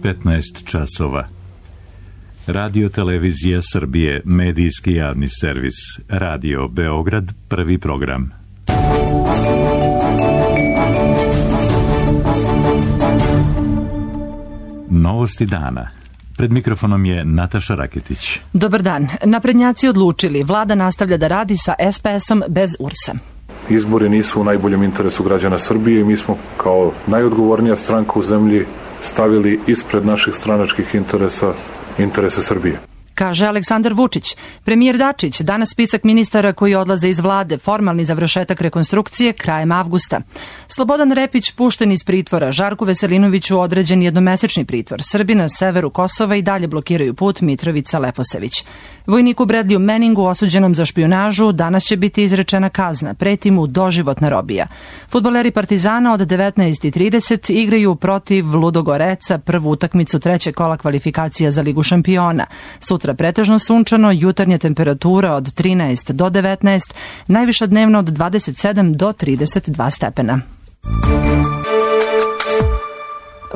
15 časova. Radio Televizija Srbije, medijski javni servis. Radio Beograd, prvi program. Novosti dana. Pred mikrofonom je Nataša Raketić. Dobar dan. Naprednjaci odlučili. Vlada nastavlja da radi sa SPS-om bez URS-a. Izbori nisu u najboljem interesu građana Srbije i mi smo kao najodgovornija stranka u zemlji stavili ispred naših stranačkih interesa Srbije. Kaže Aleksandar Vučić. Premijer Dačić, danas spisak ministara koji odlaze iz vlade, formalni završetak rekonstrukcije krajem avgusta. Slobodan Repić pušten iz pritvora, Žarku Veselinoviću određen jednomesečni pritvor. Srbi na severu Kosova i dalje blokiraju put Mitrovica-Leposević. Vojniku Bradliju Meningu osuđenom za špijunažu danas će biti izrečena kazna, preti mu doživotna robija. Fudbaleri Partizana od 19:30 igraju protiv Ludogoreca prvu utakmicu trećeg kola kvalifikacija za Ligu šampiona. Sutra pretežno sunčano, jutarnja temperatura od 13 do 19, najviša dnevno od 27 do 32 stepena.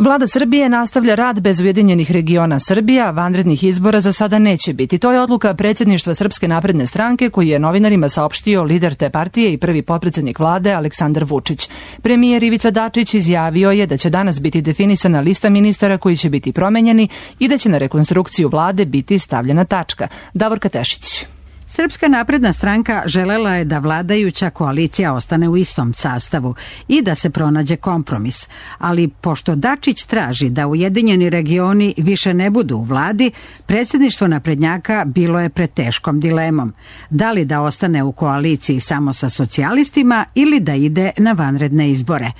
Vlada Srbije nastavlja rad bez Ujedinjenih regiona Srbija, vanrednih izbora za sada neće biti. To je odluka predsjedništva Srpske napredne stranke koji je novinarima saopštio lider te partije i prvi potpredsjednik vlade Aleksandar Vučić. Premijer Ivica Dačić izjavio je da će danas biti definisana lista ministara koji će biti promenjeni i da će na rekonstrukciju vlade biti stavljena tačka. Davorka Tešić. Srpska napredna stranka želela je da vladajuća koalicija ostane u istom sastavu i da se pronađe kompromis. Ali pošto Dačić traži da Ujedinjeni regioni više ne budu u vladi, predsjedništvo naprednjaka bilo je pred teškom dilemom. Da li da ostane u koaliciji samo sa socijalistima ili da ide na vanredne izbore.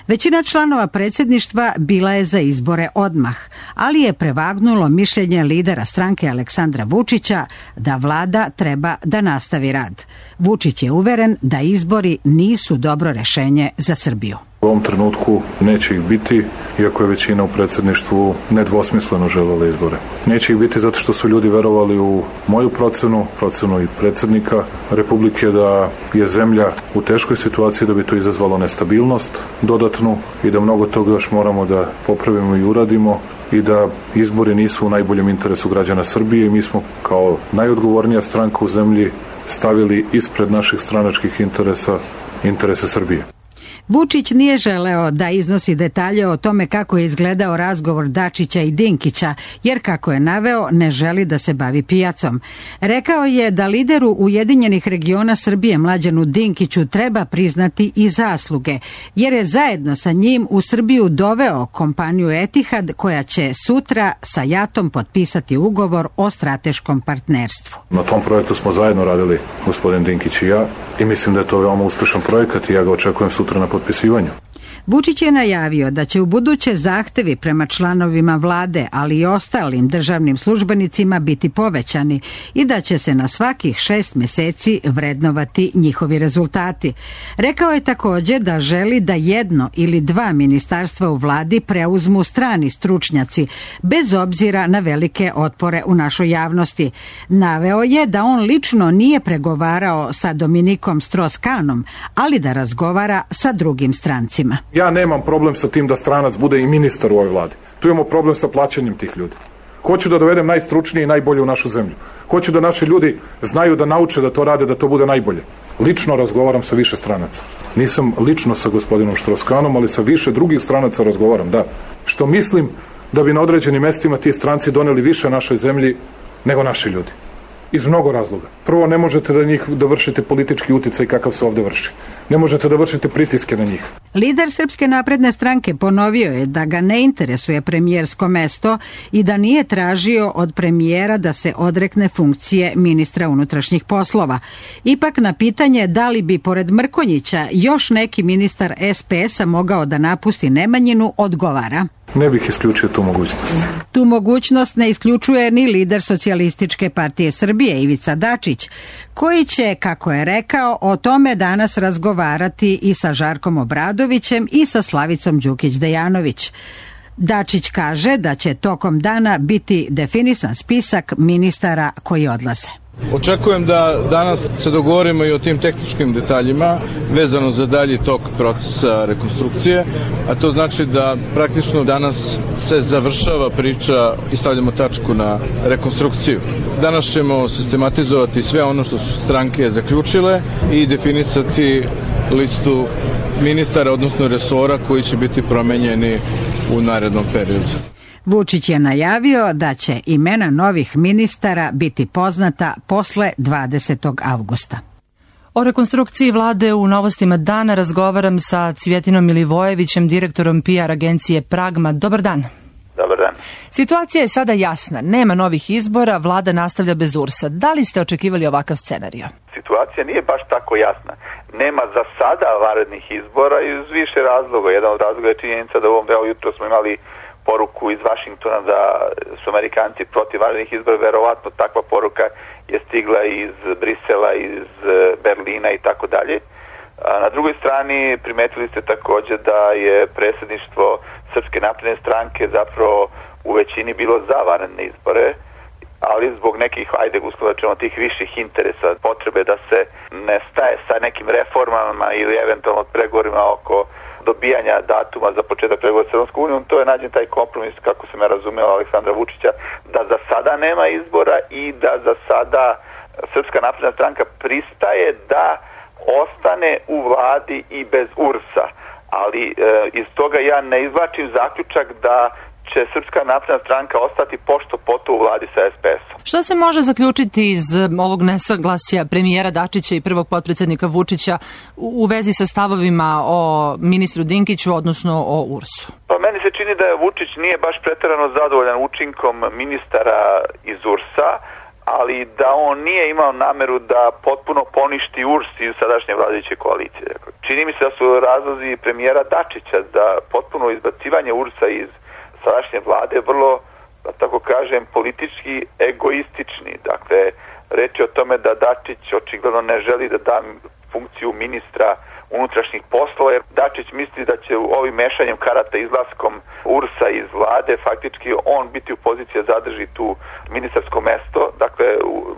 Većina članova predsjedništva bila je za izbore odmah, ali je prevagnulo mišljenje lidera stranke Aleksandra Vučića da vlada treba da nastavi rad. Vučić je uveren da izbori nisu dobro rešenje za Srbiju. U ovom trenutku neće ih biti, iako je većina u predsjedništvu nedvosmisleno želela izbore. Neće ih biti zato što su ljudi verovali u moju procenu i predsjednika Republike da je zemlja u teškoj situaciji, da bi to izazvalo nestabilnost dodatnu i da mnogo toga još moramo da popravimo i uradimo i da izbori nisu u najboljem interesu građana Srbije i mi smo kao najodgovornija stranka u zemlji stavili ispred naših stranačkih interesa Srbije. Vučić nije želeo da iznosi detalje o tome kako je izgledao razgovor Dačića i Dinkića, jer kako je naveo, ne želi da se bavi pijacom. Rekao je da lideru Ujedinjenih regiona Srbije Mlađanu Dinkiću treba priznati i zasluge, jer je zajedno sa njim u Srbiju doveo kompaniju Etihad koja će sutra sa JAT-om potpisati ugovor o strateškom partnerstvu. Na tom projektu smo zajedno radili, gospodin Dinkić i ja, i mislim da je to veoma uspešan projekat i ja ga očekujem sutra na potpisivanju. Vučić je najavio da će u buduće zahtevi prema članovima vlade, ali i ostalim državnim službenicima biti povećani i da će se na svakih 6 mjeseci vrednovati njihovi rezultati. Rekao je također da želi da 1 ili 2 ministarstva u vladi preuzmu strani stručnjaci, bez obzira na velike otpore u našoj javnosti. Naveo je da on lično nije pregovarao sa Dominikom Strauss-Kahnom, ali da razgovara sa drugim strancima. Ja nemam problem sa tim da stranac bude i ministar u ovoj vladi. Tu imamo problem sa plaćanjem tih ljudi. Hoću da dovedem najstručnije i najbolje u našu zemlju. Hoću da naši ljudi znaju da nauče da to rade, da to bude najbolje. Lično razgovaram sa više stranaca. Nisam lično sa gospodinom Strauss-Kahnom, ali sa više drugih stranaca razgovaram, da. Što mislim da bi na određenim mestima ti stranci doneli više našoj zemlji nego naši ljudi. Iz mnogo razloga. Prvo, ne možete da vršite politički uticaj kakav se ovde vrši. Ne možete da vršite pritiske na njih. Lider Srpske napredne stranke ponovio je da ga ne interesuje premijersko mesto i da nije tražio od premijera da se odrekne funkcije ministra unutrašnjih poslova. Ipak na pitanje da li bi pored Mrkonjića još neki ministar SPS-a mogao da napusti Nemanjinu, odgovara: Ne bih isključio tu mogućnost. Tu mogućnost ne isključuje ni lider Socijalističke partije Srbije Ivica Dačić, koji će, kako je rekao, o tome danas razgovarati i sa Žarkom Obradovićem i sa Slavicom Đukić-Dejanović. Dačić kaže da će tokom dana biti definisan spisak ministara koji odlaze. Očekujem da danas se dogovorimo i o tim tehničkim detaljima vezano za dalji tok procesa rekonstrukcije, a to znači da praktično danas se završava priča i stavljamo tačku na rekonstrukciju. Danas ćemo sistematizovati sve ono što su stranke zaključile i definisati listu ministara, odnosno resora koji će biti promenjeni u narednom periodu. Vučić je najavio da će imena novih ministara biti poznata posle 20. avgusta. O rekonstrukciji vlade u Novostima dana razgovaram sa Cvjetinom Milivojevićem, direktorom PR agencije Pragma. Dobar dan. Dobar dan. Situacija je sada jasna. Nema novih izbora, vlada nastavlja bez URS-a. Da li ste očekivali ovakav scenarij? Situacija nije baš tako jasna. Nema za sada vanrednih izbora iz više razloga. Jedan od razloga je činjenica da jutro smo imali poruku iz Vašingtona da su Amerikanci protiv vanrednih izbora. Verovatno takva poruka je stigla iz Brisela, iz Berlina i tako dalje. Na drugoj strani primetili ste također da je predsjedništvo Srpske napredne stranke zapravo u većini bilo za vanredne izbore, ali zbog nekih, tih viših interesa, potrebe da se ne staje sa nekim reformama ili eventualno pregovorima oko dobijanja datuma za početak pregovora s Evropskom unijom, to je nađen taj kompromis, kako sam ja razumeo, Aleksandra Vučića, da za sada nema izbora i da za sada Srpska napredna stranka pristaje da ostane u vladi i bez URS-a. Ali iz toga ja ne izvlačim zaključak da će Srpska napredna stranka ostati pošto poto u vladi sa SPS-om. Šta se može zaključiti iz ovog nesaglasja premijera Dačića i prvog potpredsjednika Vučića u vezi sa stavovima o ministru Dinkiću, odnosno o URS-u? Pa meni se čini da Vučić nije baš preterano zadovoljan učinkom ministara iz URS-a, ali da on nije imao nameru da potpuno poništi URS iz sadašnje vladajuće koalicije. Čini mi se da su razlozi premijera Dačića za potpuno izbacivanje URS-a iz sadašnje vlade vrlo, da tako kažem, politički egoistični. Dakle, reč je o tome da Dačić očigledno ne želi da da funkciju ministra unutrašnjih poslova, jer Dačić misli da će ovim mešanjem karata izlaskom URS-a iz vlade faktički on biti u poziciji da zadrži tu ministarsko mesto, dakle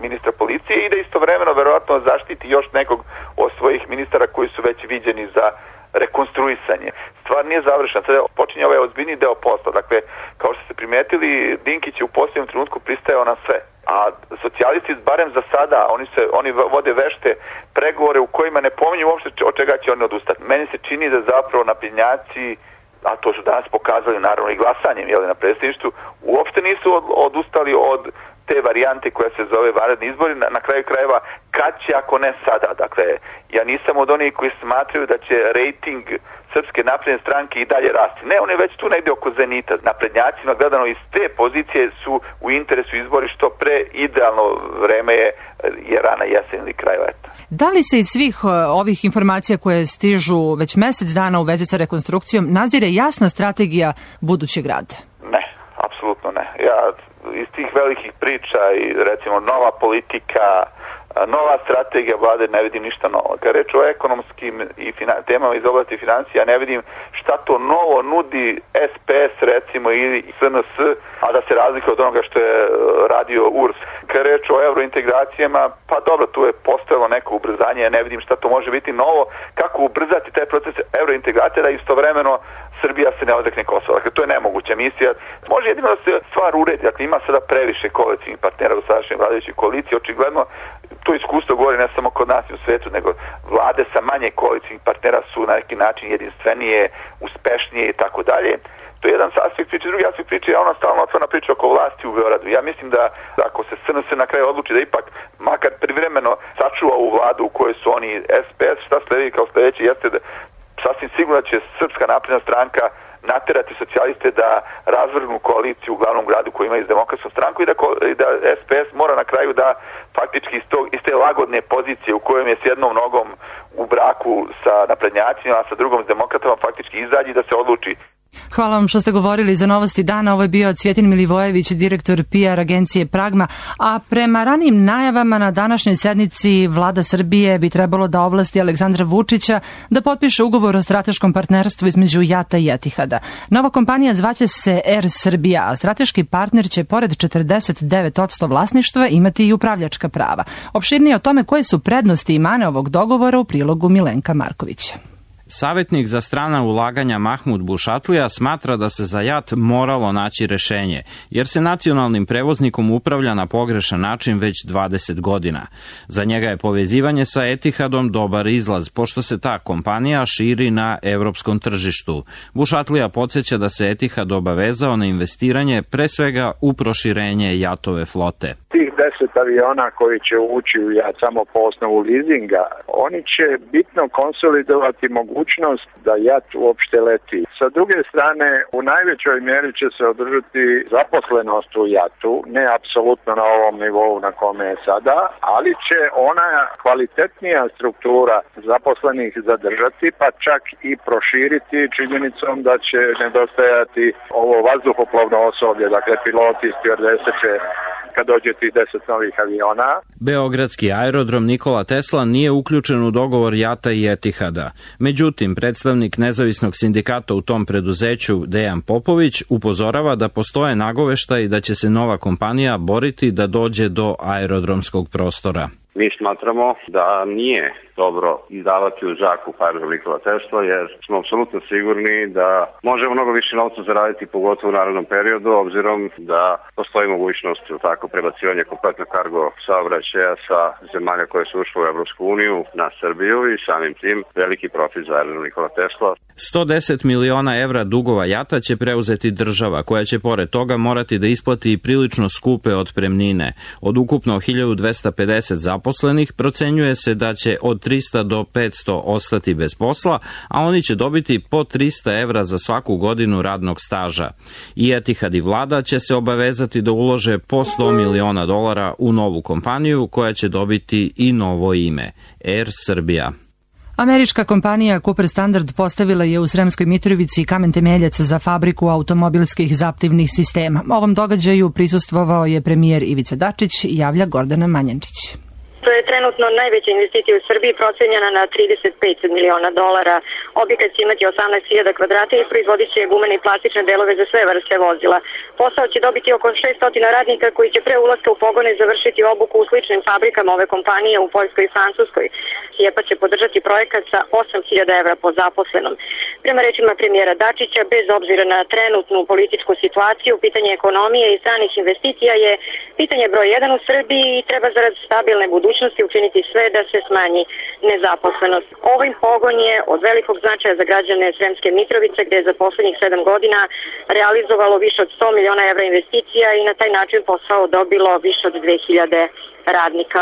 ministra policije, i da istovremeno verovatno zaštiti još nekog od svojih ministara koji su već viđeni za rekonstruisanje. Stvar nije završena, sada počinje ovaj ozbiljni deo posla. Dakle, kao što ste primetili, Dinkić je u posljednjem trenutku pristajao na sve, a socijalisti, barem za sada, oni vode vešte pregovore u kojima ne pominju uopšte od čega će oni odustati. Meni se čini da zapravo naprednjaci, a to su danas pokazali naravno i glasanjem na predsjedništvu, uopšte nisu odustali od te varijante koja se zove vanredni izbori, na kraju krajeva kad će ako ne sada. Dakle, ja nisam od onih koji smatraju da će rejting Srpske napredne stranke i dalje rasti. Ne, on je već tu negdje oko zenita. Naprednjacima gledano iz te pozicije su u interesu izbori što pre, idealno vreme je rana jesen ili kraj leta. Da li se iz svih ovih informacija koje stižu već mjesec dana u vezi sa rekonstrukcijom nazire jasna strategija budućeg rada? Ne, apsolutno ne. Ja iz tih velikih priča i recimo nova politika, nova strategija vlade ne vidim ništa novo. Kad reč o ekonomskim i temama iz oblasti financija, ne vidim šta to novo nudi SPS recimo ili SNS, a da se razlikuje od onoga što je radio URS. Kad reč o eurointegracijama, pa dobro, tu je postojalo neko ubrzanje, ne vidim šta to može biti novo, kako ubrzati taj proces eurointegracije da istovremeno Srbija se ne odrekne Kosova. Dakle, to je nemoguća misija. Može jedino da se stvar uredi. Dakle, ima sada previše koalicijnih partnera u sadašnjoj vladajućoj koaliciji. Očigledno, to iskustvo govori ne samo kod nas i u svetu, nego vlade sa manje koalicijnih partnera su na neki način jedinstvenije, uspešnije i tako dalje. To je jedan aspekt priče. Drugi aspekt priče je ona stalno otvorena priča oko vlasti u Beogradu. Ja mislim da ako se SNS na kraju odluči da ipak makar privremeno sačuva ovu vladu u kojoj su oni SPS, šta sledi kao sljedeće jeste da sasvim sigurno će Srpska napredna stranka naterati socijaliste da razvrgnu koaliciju u glavnom gradu koji ima iz Demokratskom stranku i da SPS mora na kraju da faktički iz te lagodne pozicije u kojem je s jednom nogom u braku sa naprednjacima, a sa drugom s demokratama faktički izađi da se odluči Hvala vam što ste govorili za Novosti dana. Ovo je bio Cvjetin Milivojević, direktor PR agencije Pragma. A prema ranijim najavama na današnjoj sednici Vlada Srbije bi trebalo da ovlasti Aleksandra Vučića da potpiše ugovor o strateškom partnerstvu između JAT-a i Etihada. Nova kompanija zvaće se Air Srbija, a strateški partner će pored 49% vlasništva imati i upravljačka prava. Opširnije o tome koje su prednosti i mane ovog dogovora u prilogu Milenka Markovića. Savetnik za strana ulaganja Mahmud Bušatlija smatra da se za JAT moralo naći rešenje, jer se nacionalnim prevoznikom upravlja na pogrešan način već 20 godina. Za njega je povezivanje sa Etihadom dobar izlaz, pošto se ta kompanija širi na evropskom tržištu. Bušatlija podsjeća da se Etihad obavezao na investiranje pre svega u proširenje JAT-ove flote. Tih 10 aviona koji će ući u JAT samo po osnovu leasinga, oni će bitno konsolidovati mogućnost da JAT uopšte leti. Sa druge strane, u najvećoj mjeri će se održati zaposlenost u JAT-u, ne apsolutno na ovom nivou na kome je sada, ali će ona kvalitetnija struktura zaposlenih zadržati, pa čak i proširiti činjenicom da će nedostajati ovo vazduhoplovno osoblje, dakle piloti i stjuardese će kad dođe tih 10 novih aviona. Beogradski aerodrom Nikola Tesla nije uključen u dogovor JAT-a i Etihada. Međutim, predstavnik nezavisnog sindikata u tom preduzeću Dejan Popović upozorava da postoje nagoveštaji da će se nova kompanija boriti da dođe do aerodromskog prostora. Mi smatramo da nije dobro izdavati u zakup aerodrom Nikola Tesla, jer smo apsolutno sigurni da možemo mnogo više novca zaraditi, pogotovo u narednom periodu, obzirom da postoji mogućnost tako prebacivanja kompletnog kargo saobraćaja sa zemalja koje su ušle u Evropsku uniju na Srbiju i samim tim veliki profit za aerodrom Nikola Tesla. 110 miliona evra dugova JAT-a će preuzeti država, koja će pored toga morati da isplati i prilično skupe otpremnine. Od ukupno 1250 zaposlenih procenjuje se da će od 300 do 500 ostati bez posla, a oni će dobiti po 300 evra za svaku godinu radnog staža. I Etihad i vlada će se obavezati da ulože po $100 miliona u novu kompaniju koja će dobiti i novo ime, Air Srbija. Američka kompanija Cooper Standard postavila je u Sremskoj Mitrovici kamen temeljac za fabriku automobilskih zaptivnih sistema. Ovom događaju prisustvovao je premijer Ivica Dačić, javlja Gordana Manjančić. To je trenutno najveća investicija u Srbiji, procenjena na $35 miliona. Objekat će imati 18.000 kvadrata i proizvodit će gumene i plastične delove za sve vrste vozila. Posao će dobiti oko 600 radnika koji će pre ulaska u pogone završiti obuku u sličnim fabrikama ove kompanije u Poljskoj i Francuskoj. SIEPA će podržati projekat sa 8.000 evra po zaposlenom. Prema rečima premijera Dačića, bez obzira na trenutnu političku situaciju, pitanje ekonomije i stranih investicija je pitanje broj 1 u Srbiji i treba zarad stabilne budućnosti učiniti sve da se smanji nezaposlenost. Ovim pogon je od velikog značaja za građane Sremske Mitrovice, gde je za poslednjih 7 godina realizovalo više od 100 miliona evra investicija i na taj način posao dobilo više od 2000 radnika.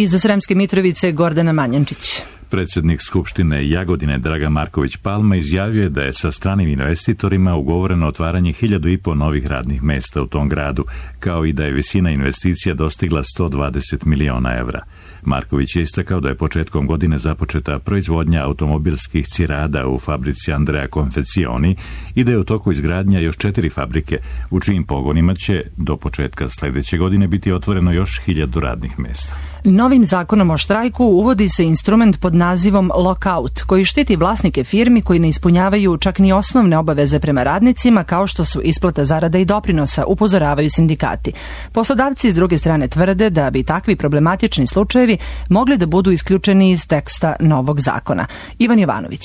Iz Sremske Mitrovice Gordana Manjančić. Predsjednik Skupštine Jagodine Dragan Marković Palma izjavio je da je sa stranim investitorima ugovoreno otvaranje 1.500 novih radnih mesta u tom gradu, kao i da je visina investicija dostigla 120 miliona evra. Marković je istakao da je početkom godine započeta proizvodnja automobilskih cirada u fabrici Andrea Confezioni i da je u toku izgradnja još 4 fabrike, u čijim pogonima će do početka sljedeće godine biti otvoreno još 1.000 radnih mesta. Novim zakonom o štrajku uvodi se instrument pod nazivom lockout, koji štiti vlasnike firmi koji ne ispunjavaju čak ni osnovne obaveze prema radnicima, kao što su isplata zarada i doprinosa, upozoravaju sindikati. Poslodavci s druge strane tvrde da bi takvi problematični slučajevi mogli da budu isključeni iz teksta novog zakona. Ivan Jovanović.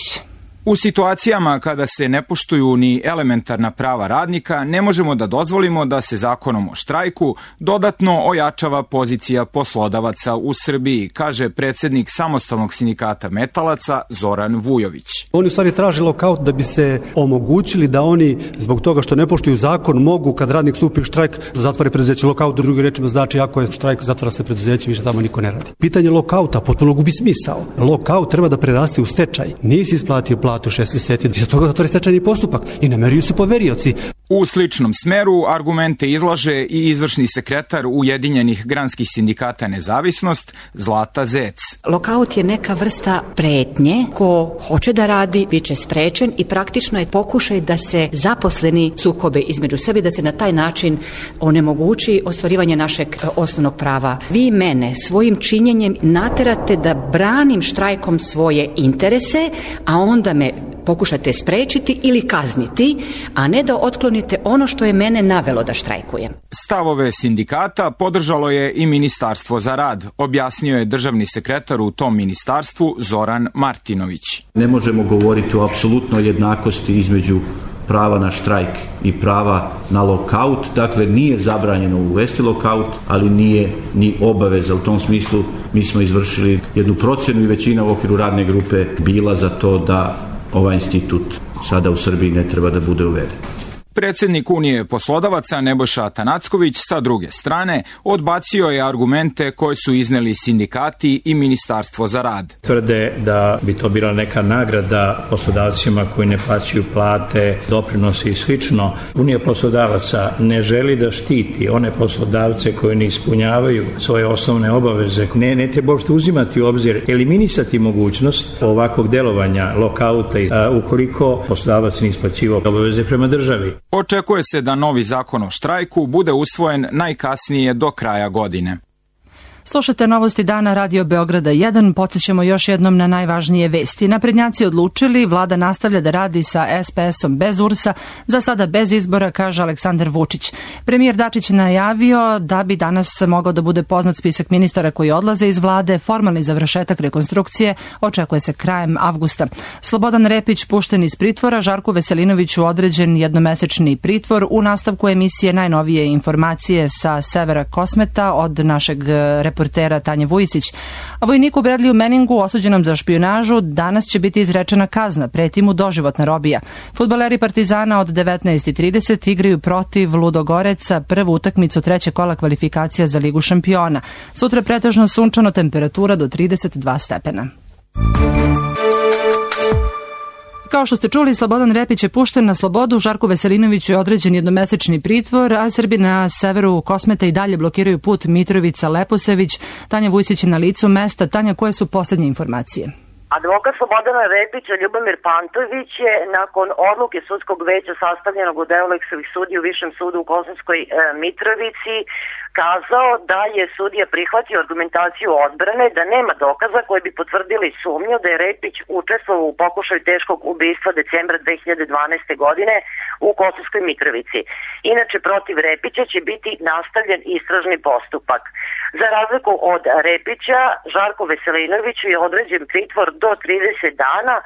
U situacijama kada se ne poštuju ni elementarna prava radnika, ne možemo da dozvolimo da se zakonom o štrajku dodatno ojačava pozicija poslodavaca u Srbiji, kaže predsjednik samostalnog sindikata metalaca Zoran Vujović. Oni u stvari traže lokaut da bi se omogućili da oni zbog toga što ne poštuju zakon mogu kad radnik stupi u štrajk zatvore preduzeće. Lokaut drugim rečima znači ako je štrajk zatvara se preduzeće, više tamo niko ne radi. Pitanje lokauta potpuno gubi smisao. Lokaut treba da preraste u stečaj. Nisi isplatio platu 6 mjeseci i za toga zatvori stečajni postupak i nameruju se poverioci. U sličnom smeru argumente izlaže i izvršni sekretar Ujedinjenih granskih sindikata Nezavisnost Zlata Zec. Lokaut je neka vrsta pretnje. Ko hoće da radi, bit će sprečen i praktično je pokušaj da se zaposleni sukobe između sebe, da se na taj način onemogući ostvarivanje našeg osnovnog prava. Vi mene svojim činjenjem naterate da branim štrajkom svoje interese, a onda me pokušate sprečiti ili kazniti, a ne da otklonite ono što je mene navelo da štrajkujem. Stavove sindikata podržalo je i Ministarstvo za rad, objasnio je državni sekretar u tom ministarstvu Zoran Martinović. Ne možemo govoriti o apsolutnoj jednakosti između prava na štrajk i prava na lokaut. Dakle, nije zabranjeno uvesti lokaut, ali nije ni obaveza. U tom smislu mi smo izvršili jednu procjenu i većina u okviru radne grupe bila za to da ovaj institut sada u Srbiji ne treba da bude uveden. Predsjednik Unije poslodavaca Nebojša Atanacković sa druge strane odbacio je argumente koje su izneli sindikati i Ministarstvo za rad. Tvrde da bi to bila neka nagrada poslodavcima koji ne plaćaju plate, doprinose i slično. Unija poslodavaca ne želi da štiti one poslodavce koji ne ispunjavaju svoje osnovne obaveze. Ne treba uopšte uzimati u obzir, eliminisati mogućnost ovakvog delovanja lokauta ukoliko poslodavac ne isplaćivao obaveze prema državi. Očekuje se da novi zakon o štrajku bude usvojen najkasnije do kraja godine. Slušate novosti dana Radio Beograda 1, podsjećamo još jednom na najvažnije vesti. Naprednjaci odlučili, vlada nastavlja da radi sa SPS-om bez URS-a, za sada bez izbora, kaže Aleksandar Vučić. Premijer Dačić najavio da bi danas mogao da bude poznat spisak ministara koji odlaze iz vlade, formalni završetak rekonstrukcije očekuje se krajem avgusta. Slobodan Repić pušten iz pritvora, Žarku Veselinoviću određen jednomesečni pritvor. U nastavku emisije najnovije informacije sa severa Kosmeta od našeg reportera Tanje Vujisić. A vojniku Bradliju Meningu, osuđenom za špijunažu, danas će biti izrečena kazna, preti mu doživotna robija. Fudbaleri Partizana od 19:30 igraju protiv Ludogoreca prvu utakmicu trećeg kola kvalifikacija za Ligu šampiona. Sutra pretežno sunčano, temperatura do 32 stepena. Kao što ste čuli, Slobodan Repić je pušten na slobodu, Žarku Veselinoviću je određen jednomesečni pritvor, a Srbi na severu Kosmeta i dalje blokiraju put Mitrovica-Leposević. Tanja Vujsić je na licu mesta. Tanja, koje su poslednje informacije? Advokat Slobodana Repića, Ljubomir Pantović, je nakon odluke sudskog veća sastavljenog od Euleksovih sudija u Višem sudu u Kosovskoj Mitrovici kazao da je sudija prihvatio argumentaciju odbrane, da nema dokaza koji bi potvrdili sumnju da je Repić učestvovao u pokušaju teškog ubistva decembra 2012. godine u Kosovskoj Mitrovici. Inače, protiv Repića će biti nastavljen istražni postupak. Za razliku od Repića, Žarku Veselinoviću je određen pritvor do 30 dana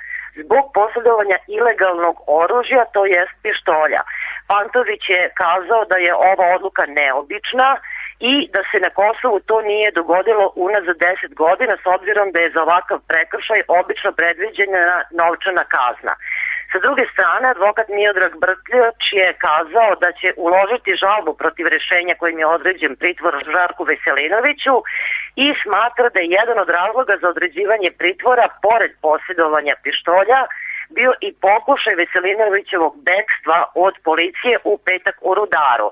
zbog posjedovanja ilegalnog oružja, to jest pištolja. Pantović je kazao da je ova odluka neobična i da se na Kosovu to nije dogodilo unazad 10 godina, s obzirom da je za ovakav prekršaj obično predviđena novčana kazna. Sa druge strane, advokat Miodrag Brkljač je kazao da će uložiti žalbu protiv rešenja kojim je određen pritvor Žarku Veselinoviću i smatra da je jedan od razloga za određivanje pritvora, pored posjedovanja pištolja, bio i pokušaj Veselinovićevog bekstva od policije u petak u Rudaru.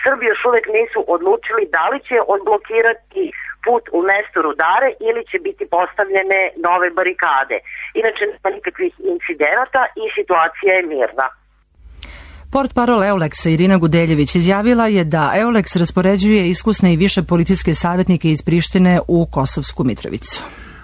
Srbi još uvek nisu odlučili da li će odblokirati put u mestu Rudare ili će biti postavljene nove barikade. Inače, nema nikakvih incidenata i situacija je mirna. Portparol Euleksa Irina Gudeljević izjavila je da Euleks raspoređuje iskusne i više policijske savjetnike iz Prištine u Kosovsku Mitrovicu.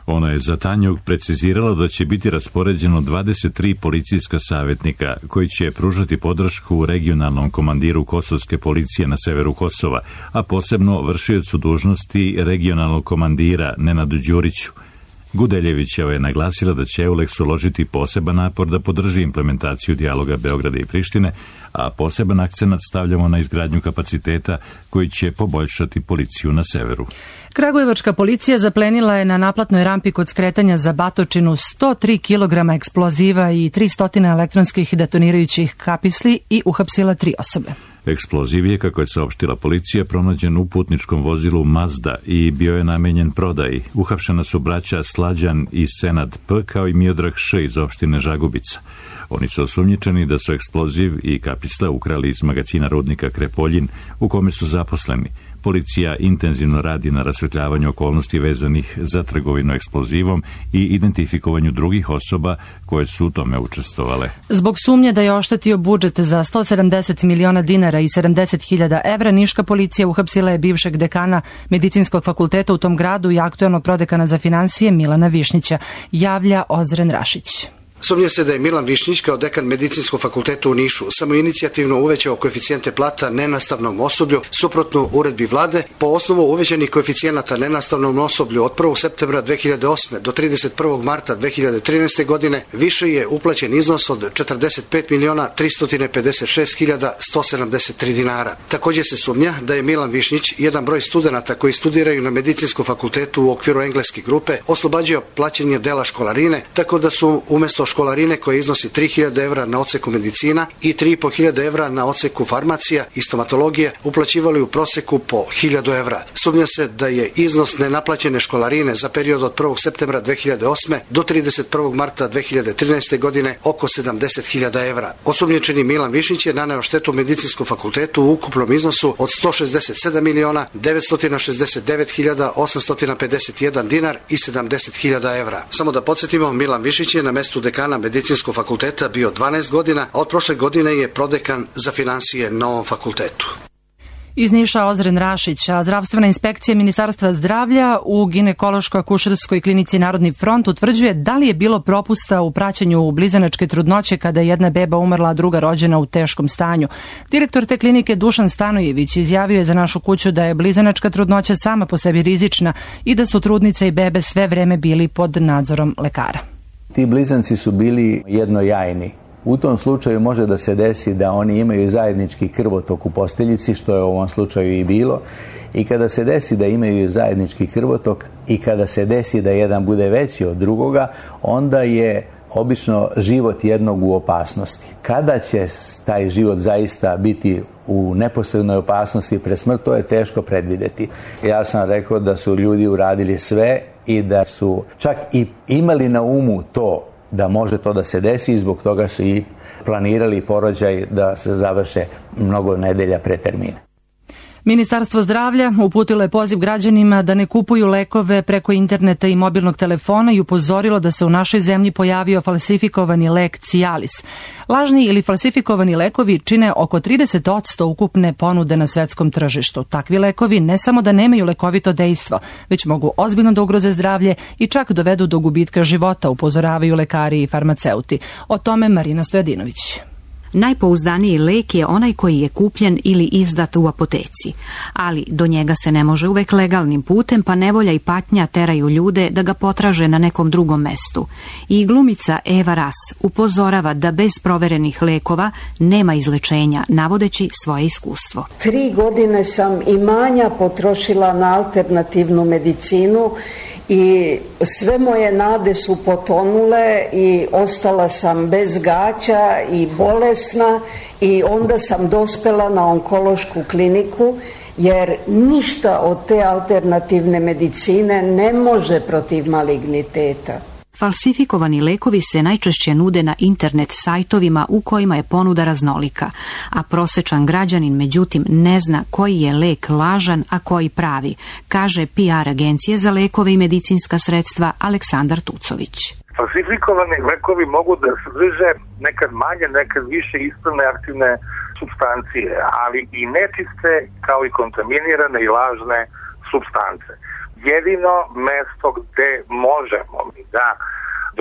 Ona je za Tanjug precizirala da će biti raspoređeno 23 policijska savjetnika koji će pružati podršku regionalnom komandiru kosovske policije na severu Kosova, a posebno vršiocu dužnosti regionalnog komandira Nenadu Đuriću. Gudeljevićeva je naglasila da će Euleks uložiti poseban napor da podrži implementaciju dijaloga Beograda i Prištine, a poseban akcenat stavljamo na izgradnju kapaciteta koji će poboljšati policiju na severu. Kragujevačka policija zaplenila je na naplatnoj rampi kod skretanja za Batočinu 103 kg eksploziva i 300 elektronskih detonirajućih kapisli i uhapsila 3 osobe. Eksploziv je, kako je saopštila policija, pronađen u putničkom vozilu Mazda i bio je namenjen prodaji. Uhapšena su braća Slađan i Senad P, kao i Miodrag Š iz opštine Žagubica. Oni su osumnjičeni da su eksploziv i kapisle ukrali iz magacina rudnika Krepoljin, u kome su zaposleni. Policija intenzivno radi na rasvetljavanju okolnosti vezanih za trgovinu eksplozivom i identifikovanju drugih osoba koje su u tome učestvovale. Zbog sumnje da je oštetio budžet za 170 miliona dinara i 70.000 evra, niška policija uhapsila je bivšeg dekana Medicinskog fakulteta u tom gradu i aktuelnog prodekana za finansije Milana Višnjića, javlja Ozren Rašić. Sumnja se da je Milan Višnjić kao dekan Medicinskog fakulteta u Nišu samoinicijativno uvećao koeficijente plata nenastavnom osoblju suprotno uredbi vlade. Po osnovu uvećanih koeficijenata nenastavnom osoblju od 1. septembra 2008. do 31. marta 2013. godine više je uplaćen iznos od 45.356.173 dinara. Također se sumnja da je Milan Višnjić jedan broj studenata koji studiraju na Medicinskom fakultetu u okviru engleske grupe oslobađao plaćanje dela školarine, tako da su umjesto školarine koje iznosi 3.000 evra na odseku medicina i 3.500 evra na odseku farmacija i stomatologije uplaćivali u proseku po 1.000 evra. Sumnja se da je iznos nenaplaćene školarine za period od 1. septembra 2008. do 31. marta 2013. godine oko 70.000 evra. Osumnjičeni Milan Višnjić je naneo štetu Medicinskom fakultetu u ukupnom iznosu od 167.969.851 dinar i 70.000 evra. Samo da podsjetimo, Milan Višnjić je na mestu dekana Medicinskog fakulteta bio 12 godina, a od prošle godine je prodekan za finansije na ovom fakultetu. Iz Niša Ozren Rašić, a zdravstvena inspekcija Ministarstva zdravlja u ginekološko-akušerskoj klinici Narodni front utvrđuje da li je bilo propusta u praćenju blizanačke trudnoće kada je jedna beba umrla, a druga rođena u teškom stanju. Direktor te klinike Dušan Stanojević izjavio je za Našu kuću da je blizanačka trudnoća sama po sebi rizična i da su trudnice i bebe sve vreme bili pod nadzorom lekara. Ti blizanci su bili jednojajni. U tom slučaju može da se desi da oni imaju zajednički krvotok u posteljici, što je u ovom slučaju i bilo. I kada se desi da imaju zajednički krvotok i kada se desi da jedan bude veći od drugoga, onda je obično život jednog u opasnosti. Kada će taj život zaista biti u neposrednoj opasnosti pred smrt, to je teško predvideti. Ja sam rekao da su ljudi uradili sve i da su čak i imali na umu to da može to da se desi i zbog toga su i planirali porođaj da se završe mnogo nedelja pre termina. Ministarstvo zdravlja uputilo je poziv građanima da ne kupuju lekove preko interneta i mobilnog telefona i upozorilo da se u našoj zemlji pojavio falsifikovani lek Cialis. Lažni ili falsifikovani lekovi čine oko 30% ukupne ponude na svetskom tržištu. Takvi lekovi ne samo da nemaju lekovito dejstvo, već mogu ozbiljno da ugroze zdravlje i čak dovedu do gubitka života, upozoravaju lekari i farmaceuti. O tome Marina Stojadinović. Najpouzdaniji lek je onaj koji je kupljen ili izdat u apoteci, ali do njega se ne može uvek legalnim putem, pa nevolja i patnja teraju ljude da ga potraže na nekom drugom mestu. I glumica Eva Ras upozorava da bez proverenih lekova nema izlečenja, navodeći svoje iskustvo. 3 godine sam imanja potrošila na alternativnu medicinu i sve moje nade su potonule i ostala sam bez gaća i bolesna i onda sam dospela na onkološku kliniku jer ništa od te alternativne medicine ne može protiv maligniteta. Falsifikovani lekovi se najčešće nude na internet sajtovima u kojima je ponuda raznolika, a prosečan građanin međutim ne zna koji je lek lažan, a koji pravi, kaže PR agencije za lekove i medicinska sredstva Aleksandar Tucović. Falsifikovani lekovi mogu da sadrže nekad manje, nekad više ispravne aktivne supstancije, ali i nečiste kao i kontaminirane i lažne supstance. Jedino mesto gde možemo da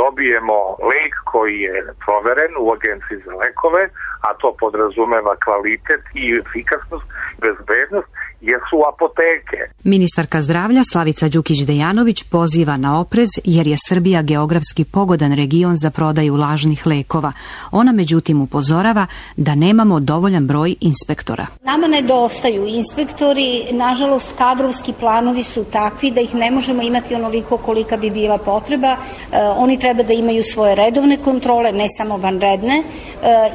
dobijemo lek koji je proveren u Agenciji za lekove, a to podrazumeva kvalitet i efikasnost, bezbednost, jesu apoteke. Ministarka zdravlja Slavica Đukić-Dejanović poziva na oprez jer je Srbija geografski pogodan region za prodaju lažnih lekova. Ona međutim upozorava da nemamo dovoljan broj inspektora. Nama nedostaju inspektori, nažalost kadrovski planovi su takvi da ih ne možemo imati onoliko kolika bi bila potreba. Oni treba da imaju svoje redovne kontrole, ne samo vanredne,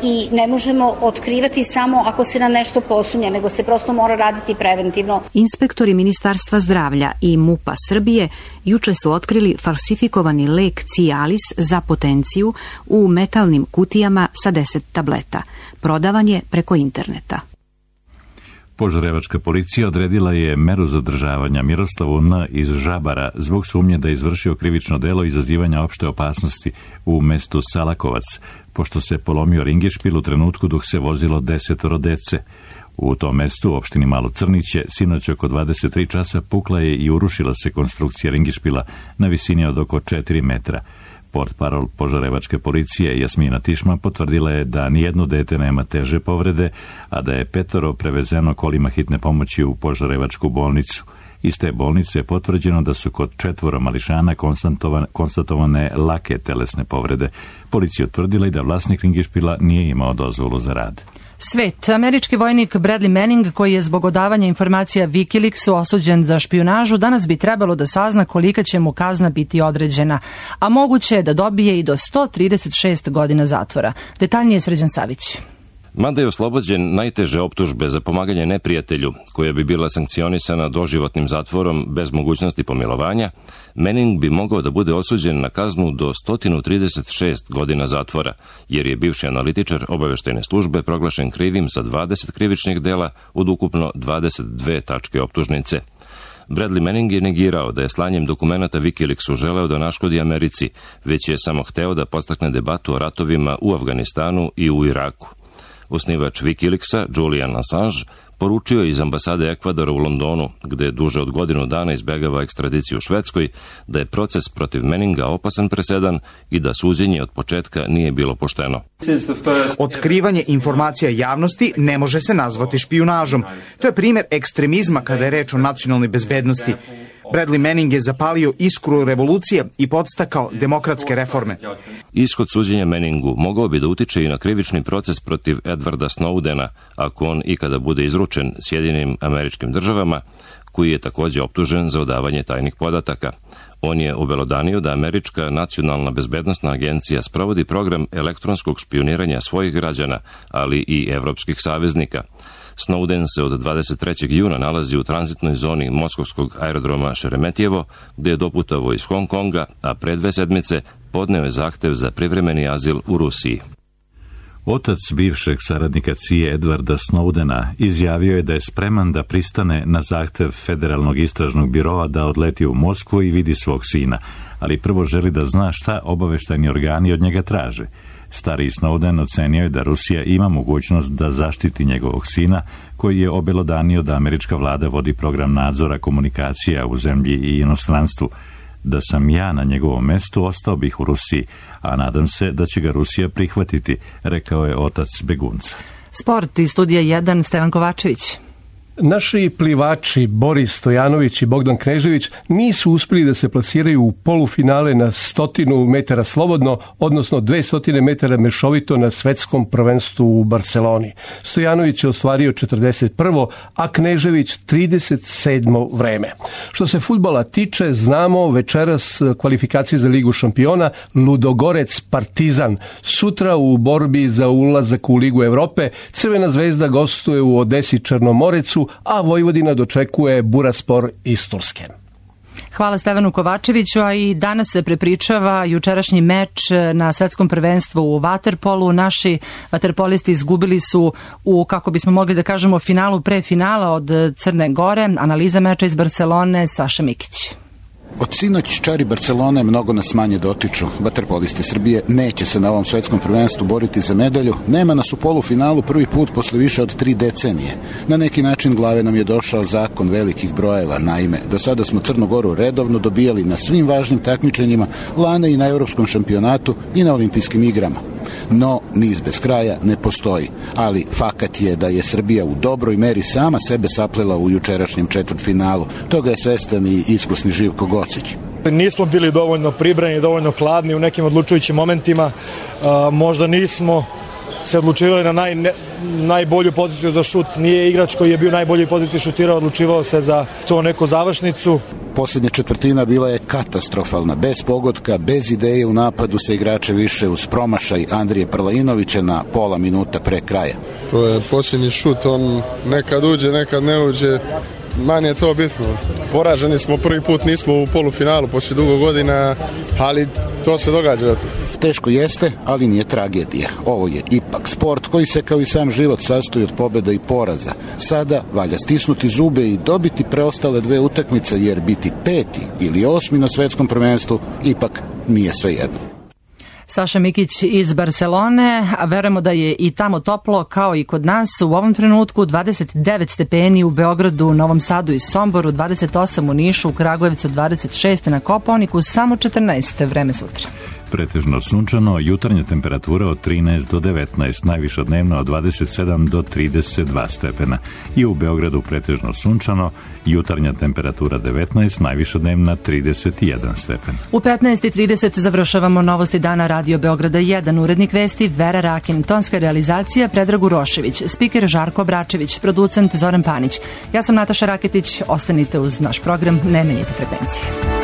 i ne možemo otkrivati samo ako se na nešto posumnja, nego se prosto mora raditi preventivno. Inspektori Ministarstva zdravlja i MUP-a Srbije juče su otkrili falsifikovani lek Cialis za potenciju u metalnim kutijama sa 10 tableta. Prodavan je preko interneta. Požarevačka policija odredila je meru zadržavanja Miroslavu N. iz Žabara zbog sumnje da je izvršio krivično delo izazivanja opšte opasnosti u mestu Salakovac, pošto se polomio ringišpil u trenutku dok se vozilo 10 dece. U tom mestu, u opštini Malo Crniće, sinoć oko 23 časa pukla je i urušila se konstrukcija ringišpila na visini od oko 4 metra. Portparol Požarevačke policije Jasmina Tišma potvrdila je da nijedno dete nema teže povrede, a da je 5 prevezeno kolima hitne pomoći u Požarevačku bolnicu. Iz te bolnice je potvrđeno da su kod 4 mališana konstatovane lake telesne povrede. Policija utvrdila i da vlasnik ringišpila nije imao dozvolu za rad. Svet. Američki vojnik Bradley Manning, koji je zbog odavanja informacija Wikileaksu osuđen za špijunažu, danas bi trebalo da sazna kolika će mu kazna biti određena, a moguće je da dobije i do 136 godina zatvora. Detaljnije Srđan Savić. Mada je oslobođen najteže optužbe za pomaganje neprijatelju, koja bi bila sankcionisana doživotnim zatvorom bez mogućnosti pomilovanja, Manning bi mogao da bude osuđen na kaznu do 136 godina zatvora, jer je bivši analitičar obaveštajne službe proglašen krivim za 20 krivičnih dela od ukupno 22 tačke optužnice. Bradley Manning je negirao da je slanjem dokumenata Wikileaksu želeo da naškodi Americi, već je samo hteo da podstakne debatu o ratovima u Afganistanu i u Iraku. Osnivač Wikileaksa, Julian Assange, poručio je iz ambasade Ekvadora u Londonu, gde je duže od godinu dana izbegava ekstradiciju u Švedskoj, da je proces protiv Manninga opasan presedan i da suđenje od početka nije bilo pošteno. Otkrivanje informacija javnosti ne može se nazvati špijunažom. To je primjer ekstremizma kada je reč o nacionalnoj bezbednosti. Bradley Manning je zapalio iskru revolucije i podstakao demokratske reforme. Ishod suđenja Manningu mogao bi da utiče i na krivični proces protiv Edwarda Snowdena, ako on ikada bude izručen Sjedinjenim Američkim Državama, koji je također optužen za odavanje tajnih podataka. On je obelodanio da Američka nacionalna bezbednosna agencija sprovodi program elektronskog špijuniranja svojih građana, ali i evropskih saveznika. Snowden se od 23. juna nalazi u tranzitnoj zoni moskovskog aerodroma Šeremetjevo, gde je doputovao iz Hong Konga, a pre 2 sedmice podneo je zahtev za privremeni azil u Rusiji. Otac bivšeg saradnika CIA Edwarda Snowdena izjavio je da je spreman da pristane na zahtev Federalnog istražnog biroa da odleti u Moskvu i vidi svog sina, ali prvo želi da zna šta obaveštajni organi od njega traže. Stariji Snowden ocenio je da Rusija ima mogućnost da zaštiti njegovog sina, koji je obelodanio da američka vlada vodi program nadzora komunikacija u zemlji i inostranstvu. Da sam ja na njegovom mestu, ostao bih u Rusiji, a nadam se da će ga Rusija prihvatiti, rekao je otac begunca. Sport iz studija 1, Stevan Kovačević. Naši plivači Boris Stojanović i Bogdan Knežević nisu uspjeli da se plasiraju u polufinale na 100 metara slobodno, odnosno 200 metara mešovito na svetskom prvenstvu u Barceloni. Stojanović je ostvario 41. a Knežević 37. vreme. Što se fudbala tiče, znamo večeras kvalifikacije za Ligu šampiona Ludogorec Partizan. Sutra u borbi za ulazak u Ligu Evrope Crvena zvezda gostuje u Odesi Črnomorecu, a Vojvodina dočekuje Buraspor iz Turske. Hvala Stevanu Kovačeviću, a i danas se prepričava jučerašnji meč na svetskom prvenstvu u vaterpolu. Naši vaterpolisti izgubili su u, kako bismo mogli da kažemo, finalu pre finala od Crne Gore. Analiza meča iz Barcelone, Saša Mikić. Od sinoć čari Barcelone mnogo nas manje dotiču. Vaterpolisti Srbije neće se na ovom svetskom prvenstvu boriti za medalju. Nema nas u polufinalu prvi put posle više od 3 decenije. Na neki način glave nam je došao zakon velikih brojeva. Naime, do sada smo Crnu Goru redovno dobijali na svim važnim takmičenjima, lane i na Evropskom šampionatu i na Olimpijskim igrama. No, niz bez kraja ne postoji, ali fakat je da je Srbija u dobroj meri sama sebe saplela u jučerašnjem četvrtfinalu. Toga je svestan i iskusni Živko Gocić. Nismo bili dovoljno pribrani, dovoljno hladni u nekim odlučujućim momentima. Možda nismo se odlučivali na najbolju poziciju za šut. Nije igrač koji je bio u najboljoj poziciji šutirao, odlučivao se za to neku završnicu. Posljednja četvrtina bila je katastrofalna, bez pogotka, bez ideje u napadu sa igrače više uz promašaj Andrije Prlainovića na pola minuta pre kraja. To je posljednji šut, on nekad uđe, nekad ne uđe. Manje je to bitno. Poraženi smo prvi put, nismo u polufinalu poslije dugo godina, ali to se događa. Teško jeste, ali nije tragedija. Ovo je ipak sport koji se kao i sam život sastoji od pobjeda i poraza. Sada valja stisnuti zube i dobiti preostale 2 utakmice, jer biti 5. ili 8. na svetskom prvenstvu ipak nije svejedno. Saša Mikić iz Barcelone, a verujemo da je i tamo toplo kao i kod nas. U ovom trenutku 29 stepeni u Beogradu, Novom Sadu i Somboru, 28 u Nišu, u Kragujevcu 26 na Kopaoniku, samo 14 vreme sutra. Pretežno sunčano, jutarnja temperatura od 13 do 19, najviša dnevno od 27 do 32 stepena. I u Beogradu pretežno sunčano, jutarnja temperatura 19, najviša dnevna 31 stepen. U 15:30 završavamo novosti dana Radio Beograda 1, urednik vesti Vera Rakin, tonska realizacija Predrag Urošević, spiker Žarko Bračević, producent Zoran Panić. Ja sam Nataša Raketić, ostanite uz naš program, ne menjite frekvencije.